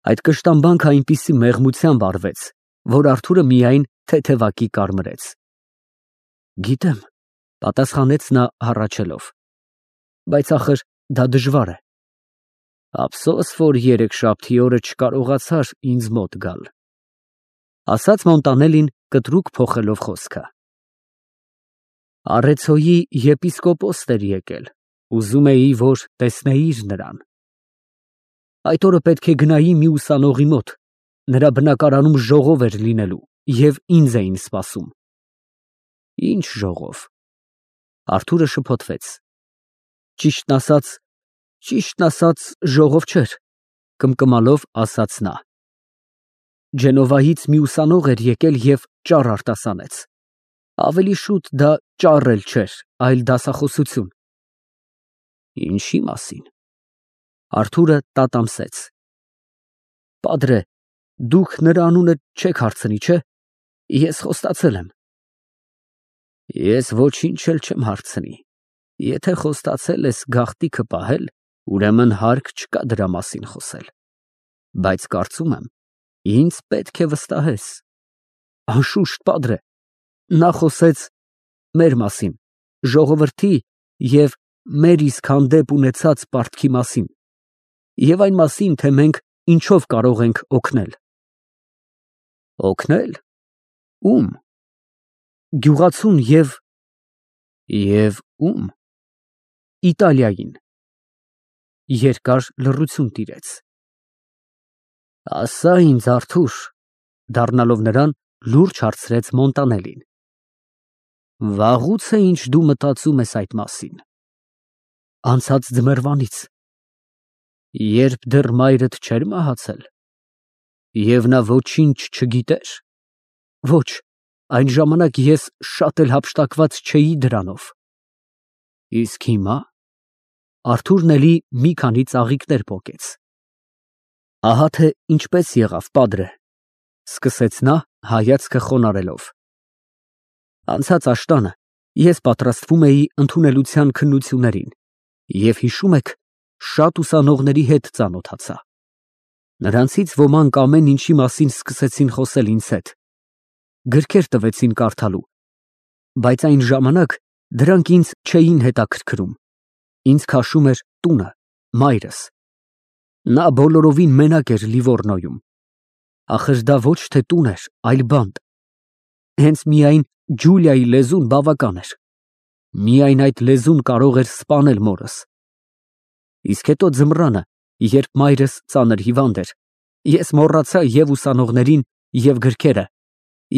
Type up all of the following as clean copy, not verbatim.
Այդ կշտամբանքը այնպիսի մեղմությամբ արվեց, որ Արթուրը միայն թեթևակի կարմրեց։ Գիտեմ, պատասխանեց նա հառաչելով, բայց ախր դա դժվար է։ Ափսոս, որ երեքշաբթի օրը չկարողացար ինձ մոտ գալ, ասաց Մոնտանելին կտրուկ փոխելով խոսքը։ Արեցոյի եպիսկոպոսն էր եկել, ուզում էի, որ տեսնեիր նրան։ Այդ օրը պետք է գնայի մի ուսանողի մոտ, նրա բնակարանում ժողով էր լինելու և ինձ էին սպասում։ Ինչ ժողով։ Արթուրը շփոթվեց։ Ճիշտն ասած, ժողով չէր, կմկմալով ասաց նա։ Ջենովայից մի ուսանող էր եկել և ճառ արտասանեց։ Ավելի շուտ դա ճառ էլ չէր, այլ դասախոսություն։ Ինչի մասին։ Արթուրը տատամսեց։ Պատրե, դուք նրա անունը չեք հարցնի, չէ՞։ Ես խոստացել եմ։ Ես ոչինչ էլ չեմ հարցնի։ Եթե խոստացել ես գաղտիքը պահել, ուրեմն հարկ չկա դրա մասին խոսել։ Բայց կարծում եմ, ինձ պետք է վստահես։ Անշուշտ, պատրե, նա խոսեց մեր մասին, ժողովրդի և մեր իսկ հանդեպ ունեցած պարտքի մասին, և այն մասին, թե մենք ինչով կարող ենք օգնել։ Օգնել։ Ում։ Գյուղացուն և ում։ Իտալիային։ Երկար լռություն տիրեց։ Ասա ինձ, Արթուր, դառնալով նրան, լուրջ հարցրեց Մոնտանելին։ Վաղուց է ինչ դու մտածում ես այդ մասին։ Անցած ձմեռվանից։ Երբ դեռ մայրդ չէր մահացել։ Եվ նա ոչինչ չգիտեր։ Ոչ, այն ժամանակ ես շատ էլ հափշտակված չէի դրանով։ Իսկ հիմա։ Արթուրն էլի մի քանի ծաղիկներ պոկեց։ Ահա թե ինչպես եղավ, պատրե, սկսեց նա հայացքը խոնարհելով։ Անցած աշտանը ես պատրաստվում էի ընդունելության քննություններին և հիշում եք, շատ ուսանողների հետ ծանոթացա։ Նրանցից ոմանք ամեն ինչի մասին սկսեցին խոսել ինձ հետ, գրքեր տվեցին կարդալու, բայց այն ժամանակ դրանք ինձ չէին հետաքրքրում, ինձ քաշում էր տունը, մայրս։ Նա բոլորովին մենակ էր Լիվորնոյում, ախր դա ոչ թե տուն էր, այլ բանտ։ Հենց միայն Ջուլիայի լեզուն բավական էր, միայն այդ լեզուն կարող էր սպանել մորս։ Իսկ հետո ձմռանը, երբ մայրս ծանր հիվանդ էր, ես մոռացա և ուսանողներին, և գրքերը,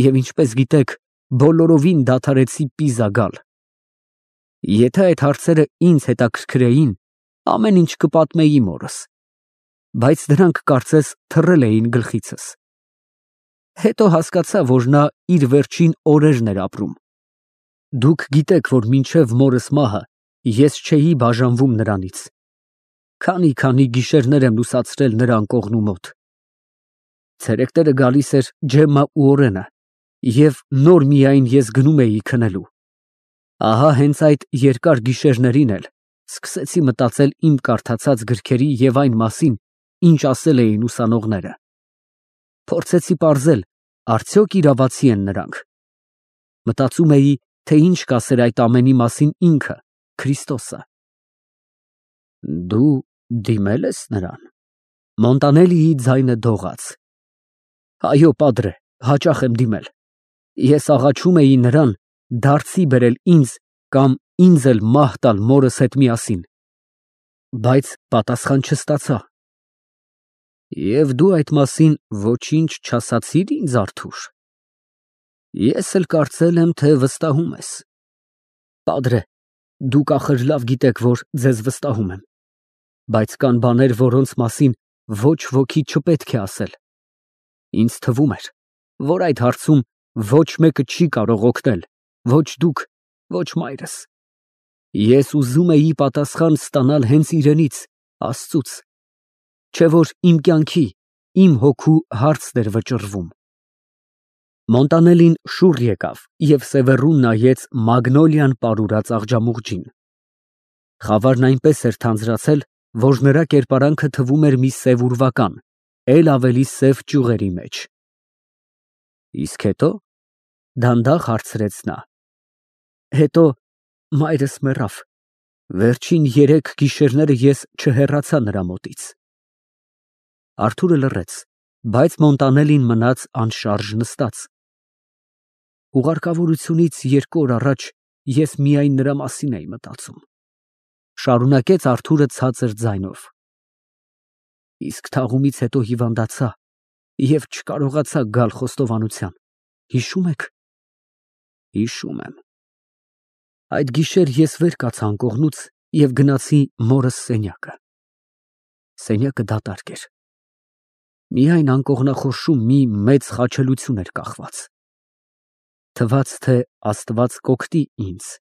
և ինչպես գիտեք, բոլորովին դադարեցի Պիզա գալ։ Եթե այդ հարցերը ինձ հետաքրքրեին, ամեն ինչ կպատմեի մորս, բայց դրանք կարծես թռել էին գլխիցս։ Հետո հասկացա, որ նա իր վերջին օրերն էր ապրում։ Դուք գիտեք, որ մինչև մորս մահը ես չէի բաժանվում նրանից։ Քանի գիշերներ եմ լուսացրել նրա անկողնու մոտ։ Ցերեկները գալիս էր Ջեմմա ու Օրենը, և նոր միայն ես գնում էի քնելու։ Ահա հենց այդ երկար գիշերներին էլ սկսեցի մտածել իմ կարդացած գրքերի և այն մասին, ինչ ասել էին ուսանողները։ Փորձեցի պարզել, արդյոք իրավացի են նրանք։ Մտածում էի, թե ինչ կասեր այդ ամենի մասին ինքը, Քրիստոսը։ Դու դիմել ես նրան։ Մոնտանելիի ձայնը դողաց։ Այո, պատրե, հաճախ եմ դիմել։ Ես աղաչում էի նրան դարձի բերել ինձ կամ ինձ էլ մահ տալ մորս հետ միասին, բայց պատասխան չստացա։ Եվ դու այդ մասին ոչինչ չասացիր ինձ, Արթուր։ Ես էլ կարծել եմ, թե վստահում ես։ Պատրե, դուք ախր լավ գիտեք, որ ձեզ վստահում եմ, բայց կան բաներ, որոնց մասին ոչ ոքի չպետք է ասել։ Ինձ թվում էր, որ այդ հարցում ոչ մեկը չի կարող օգնել, ոչ դուք, ոչ մայրս։ Ես ուզում էի պատասխան ստանալ հենց իրենից, Աստծուց, չէ որ իմ կյանքի, իմ հոգու հարցն էր վճռվում։ Մոնտանելին շուռ եկավ և սևեռուն նայեց մագնոլիան պարուրած աղջամուղջին։ Խավարն այնպես էր թանձրացել, որ նրա կերպարանքը թվում էր մի սև ուրվական, էլ ավելի սև ճյուղերի մեջ։ Իսկ հետո դանդաղ հարցրեց նա. Հետո մայրս մեռավ։ Վերջին 3 գիշերները ես չհեռացա նրա մոտից։ Արթուրը լռեց, բայց Մոնտանելին մնաց անշարժ նստած։ Ուղարկավորությունից 2 օր առաջ ես միայն նրա մասին էի մտածում, շարունակեց Արթուրը ցածր ձայնով։ Իսկ թաղումից հետո հիվանդացա և չկարողացա գալ խոստովանության։ Հիշո՞ւմ եք։ Հիշում եմ։ Այդ գիշեր ես վեր կացա անկողնուց և գնացի մորս սենյակը։ Սենյակը դատարկ էր։ Միայն անկողնախորշում մի մեծ խաչելություն էր կախված։ Թվաց, թե Աստված կօգնի ինձ։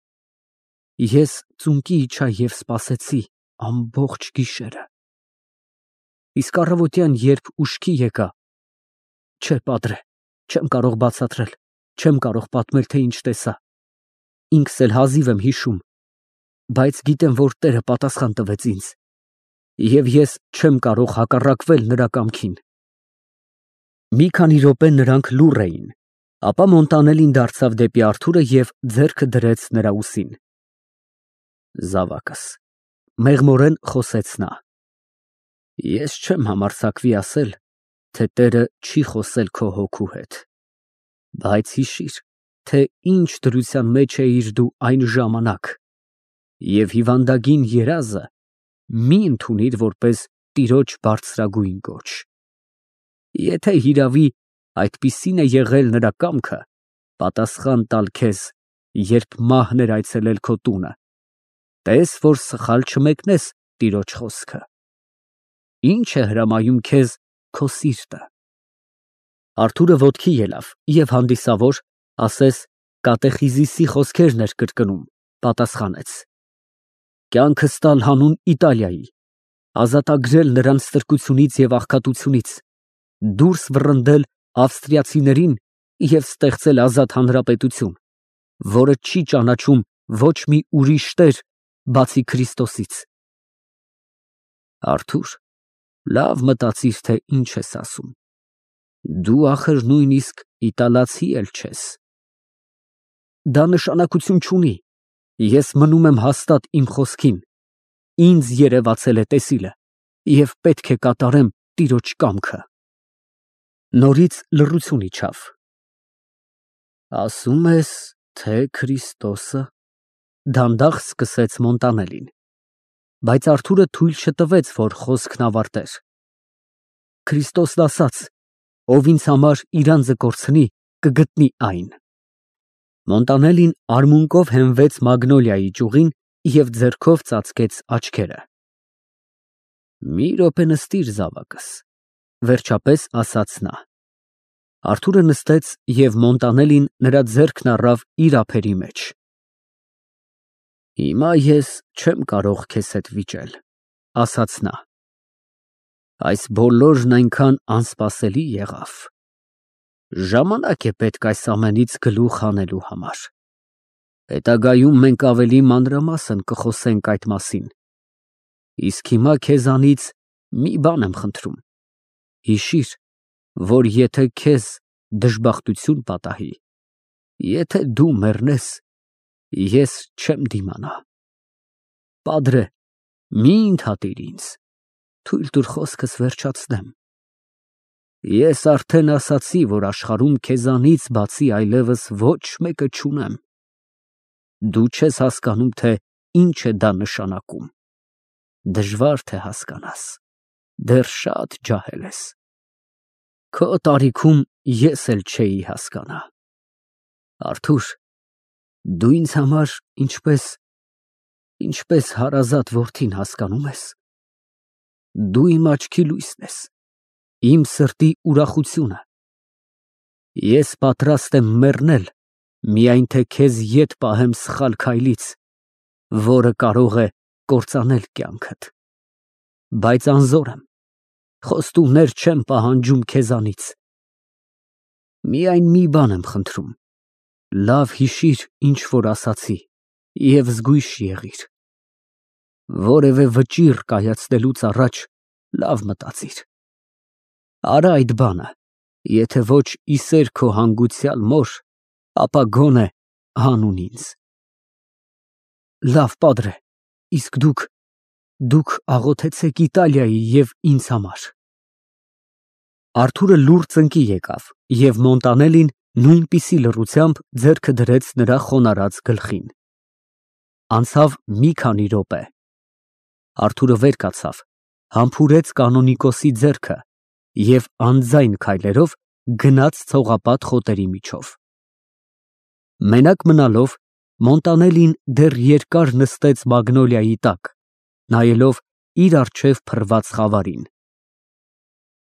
Ես ծունկի իջա և սպասեցի ամբողջ գիշերը։ Իսկ առավոտյան, երբ ուշքի եկա, չէ, պատրե, չեմ կարող բացատրել, չեմ կարող պատմել, թե ինչ տեսա։ Ինքս էլ հազիվ եմ հիշում, բայց գիտեմ, որ Տերը պատասխան տվեց ինձ, և ես չեմ կարող հակառակվել նրա կամքին։ Մի քանի րոպե նրանք լուռ էին, ապա Մոնտանելին դարձավ դեպի Արթուրը և ձեռքը դրեց նրա ուսին։ Զավակս, մեղմորեն խոսեց նա, ես չեմ համարձակվի ասել, թե Տերը չի խոսել քո հոգու հետ, բայց հիշիր, թե ինչ դրության մեջ էիր դու այն ժամանակ, և հիվանդագին երազը մի ընդունիր որպես Տիրոջ բարձրագույն կոչ։ Եթե հիրավի այդպիսին է եղել նրա կամքը, պատասխան տալ քեզ, երբ մահն էր այցելել քո տունը, տես, որ սխալ չմեկնես Տիրոջ խոսքը։ Ինչ է հրամայում քեզ քո սիրտը։ Արթուրը ոտքի ելավ և հանդիսավոր, ասես կատեխիզիսի խոսքերն էր կրկնում, պատասխանեց. Կյանքս տալ հանուն Իտալիայի, ազատագրել նրան ստրկությունից և աղքատությունից, դուրս վռնդել ավստրիացիներին և ստեղծել ազատ հանրապետություն, որը չի ճանաչում ոչ մի ուրիշ տեր, բացի Քրիստոսից։ Արթուր, լավ մտածիր, թե ինչ ես ասում։ Դու ախր նույնիսկ իտալացի էլ չես։ Դա նշանակություն չունի։ Ես մնում եմ հաստատ իմ խոսքին։ Ինձ երևացել է տեսիլը, և պետք է կատարեմ Տիրոջ կամքը։ Նորից լռություն իջավ։ Ասում ես, թե Քրիստոսը, դանդաղ սկսեց Մոնտանելին, բայց Արթուրը թույլ չտվեց, որ խոսքն ավարտեր։ Քրիստոսն ասաց. ով ինձ համար իր անձը կորցնի, կգտնի այն։ Մոնտանելին արմունկով հենվեց մագնոլիայի ճյուղին և ձեռքով ծածկեց աչքերը։ Մի րոպե նստիր, զավակս, վերջապես ասաց նա։ Արթուրը նստեց և Մոնտանելին նրա ձեռքն առավ իր ափերի մեջ։ Հիմա ես չեմ կարող քեզ հետ վիճել, ասաց նա։ Այս բոլորն այնքան անսպասելի եղավ։ Ժամանակ է պետք այս ամենից գլուխ հանելու համար։ Հետագայում մենք ավելի մանրամասն կխոսենք այդ մասին։ Իսկ հիմա քեզանից մի բան եմ խնդրում։ Հիշիր, որ եթե քեզ դժբախտություն պատահի, եթե դու մեռնես, ես չեմ դիմանա։ Պատրե, մի ընդհատիր ինձ, թույլ տուր խոսքս վերջացնեմ։ Ես արդեն ասացի, որ աշխարհում քեզանից բացի այլևս ոչ մեկը չունեմ։ Դու չես հասկանում, թե ինչ է դա նշանակում։ Դժվար թե հասկանաս, դեռ շատ ջահել ես։ Քո տարիքում ես էլ չէի հասկանա։ Արթուր, դու ինձ համար ինչպես հարազատ որդին հասկանում ես։ Դու իմ աչքի լույսն ես, իմ սրտի ուրախությունը։ Ես պատրաստ եմ մեռնել, միայն թե քեզ ետ պահեմ սխալ քայլից, որը կարող է կործանել կյանքդ։ Բայց անզոր եմ, խոստումներ չեմ պահանջում քեզանից։ Միայն մի բան եմ խնդրում. լավ հիշիր, ինչ որ ասացի, և զգույշ եղիր։ Որևէ վճիռ կայացնելուց առաջ լավ մտածիր։ Արա այդ բանը, եթե ոչ իսեր քո հանգուցյալ մոր, ապա գոնե հանուն ինձ։ Լավ, պատրե, իսկ դուք աղոթեցեք Իտալիայի և ինձ համար։ Արթուրը լուռ ծնկի եկավ, և Մոնտանելին նույնպիսի լռությամբ ձեռքը դրեց նրա խոնարհած գլխին։ Անցավ մի քանի րոպե։ Արթուրը վեր կացավ, համբուրեց կանոնիկոսի ձեռքը և անձայն քայլերով գնաց ցողապատ խոտերի միջով։ Մենակ մնալով, Մոնտանելին դեռ երկար նստեց մագնոլիայի տակ, նայելով իր առջև փռված խավարին։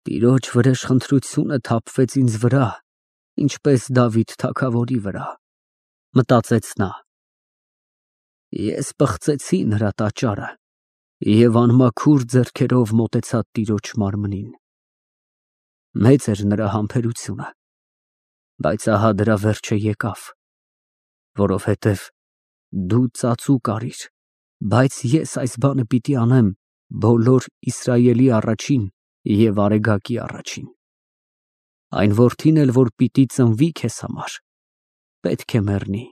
Տիրոջ վրեժխնդրությունը թափվեց ինձ վրա, ինչպես Դավիթ թագավորի վրա, մտածեց նա։ Ես պղծեցի նրա տաճարը և անմաքուր ձեռքերով մոտեցա տիրոջ մարմնին։ Մեծ էր նրա համբերությունը, բայց ահա դրա վերջը եկավ, որովհետև դու ծածուկ արիր, բայց ես այս բանը պիտի անեմ բոլոր Իսրայելի առաջին և արեգակի առաջին։ Այն որդին էլ, որ պիտի ծնվի քեզ համար, պետք է մեռնի։